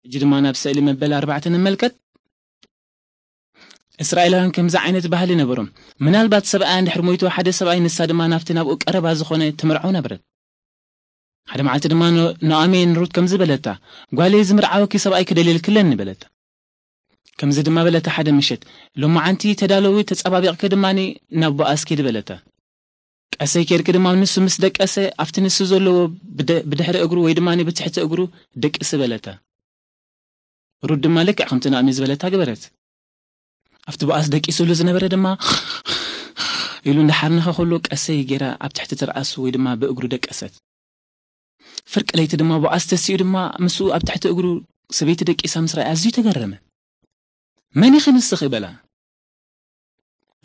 ሕጂ ድማ ናብ ስእሊ መበል ኣርባዕተ ንመልከት። እስራኤላውያን ከምዚ ዓይነት ባህሊ ነበሮም። ምናልባት ሰብኣያ እንድሕር ሞይቱ፣ ሓደ ሰብኣይ፣ ንሳ ድማ ናብቲ ናብኡ ቀረባ ዝኾነ ትምርዖ ነበረት። ሓደ መዓልቲ ድማ ኖ-፣ ኖኣሜ ንሩት ከምዚ በለታ፣ "ጓለይ፣ ዝምርዓወኪ ሰብኣይ ክደልየልክለኒ" በለታ። ከምዚ ድማ በለታ፣ "ሓደ ምሸት ሎማዓንቲ ተዳለዊ፣ ተጸባቢቕኪ ድማ ናብ ቦኣዝ ኪዲ" በለታ። ቀሰይ ኬድኪ ድማ ንሱ ምስ ደቀሰ ኣብቲ ንሱ ዘለዎ ብደ-፣ ብድሕሪ እግሩ ወይ ድማ ብትሕቲ እግሩ ደቅሲ በለታ። ሩት ድማ ልክዕ ከምቲ ናኦሚ ዝበለታ ገበረት። ኣብቲ ቦኣዝ ደቂሱሉ ዝነበረ ድማ ኢሉ እንዳሓርነኸ ከሎ ቀሰይ ጌራ ኣብ ትሕቲ ትርኣሱ ወይ ድማ ብእግሩ ደቀሰት። ፍርቂ ለይቲ ድማ ቦኣዝ ተሲኡ ድማ ምስኡ ኣብ ትሕቲ እግሩ ሰበይቲ ደቂሳ ምስ ረኣየ ኣዝዩ ተገረመ። "መን ኢኺ ንስኺ?" በላ።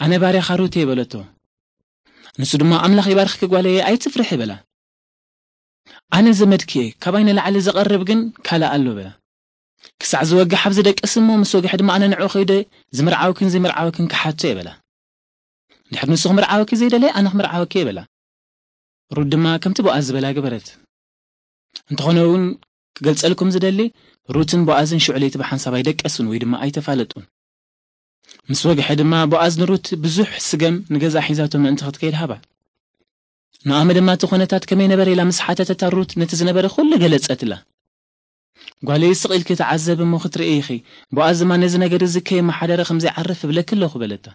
"ኣነ ባርያኻ ሩት እየ" በለቶ። ንሱ ድማ "ኣምላኽ ይባርኽኪ ጓለየ፣ ኣይትፍርሒ" በላ። "ኣነ ዘመድኪ እየ፣ ካባይ ንላዕሊ ዝቐርብ ግን ካልእ ኣሎ" በላ። "ክሳዕ ዝወግሕ ኣብዚ ደቅስ እሞ ምስ ወግሐ ድማ ኣነ ንዕኡ ከይደ ዝምርዓወክን ዘይምርዓወክን ክሓቶ እየ" በላ። "ድሕሪ ንሱ ክምርዓወኪ ዘይደለየ ኣነ ክምርዓወኪ እየ" በላ። ሩት ድማ ከምቲ ቦኣዝ ዝበላ ገበረት። እንተኾነ እውን ክገልጸልኩም ዝደሊ፣ ሩትን ቦኣዝን ሽዑ ለይቲ ብሓንሳብ ኣይደቀሱን ወይ ድማ ኣይተፋለጡን። ምስ ወግሐ ድማ ቦኣዝ ንሩት ብዙሕ ስገም ንገዛ ሒዛቶ ምእንቲ ክትከይድ ሃባ። ኖኣሚ ድማ እቲ ኩነታት ከመይ ነበረ ኢላ ምስ ሓተተታ ሩት ነቲ ዝነበረ ኩሉ ገለጸትላ። "ጓለይ ስቕ ኢልኪ ተዓዘቢ እሞ ክትርኢ ኢኺ፣ ቦኣዝ ድማ ነዚ ነገር እዚ ከየመሓደረ ከም ዘይዓርፍ እብለኪ ኣለኹ" በለታ።